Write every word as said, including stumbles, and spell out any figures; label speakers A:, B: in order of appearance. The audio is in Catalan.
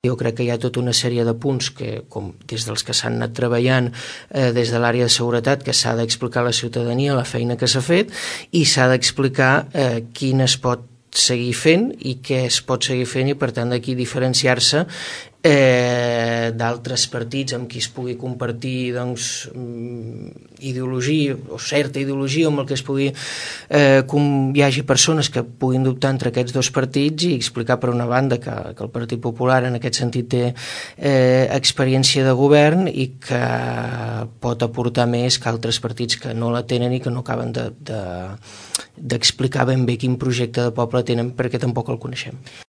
A: Jo crec que hi ha tota una sèrie de punts que, com des dels que s'han anat treballant eh, des de l'àrea de seguretat, que s'ha d'explicar a la ciutadania la feina que s'ha fet i s'ha d'explicar eh, quin es pot seguir fent i què es pot seguir fent i per tant d'aquí diferenciar-se eh, d'altres partits amb qui es pugui compartir doncs, ideologia o certa ideologia amb el que es pugui eh, com hi hagi persones que puguin dubtar entre aquests dos partits i explicar per una banda que, que el Partit Popular en aquest sentit té eh, experiència de govern i que pot aportar més que altres partits que no la tenen i que no acaben de, de, d'explicar ben bé quin projecte de poble tenen perquè tampoc el coneixem.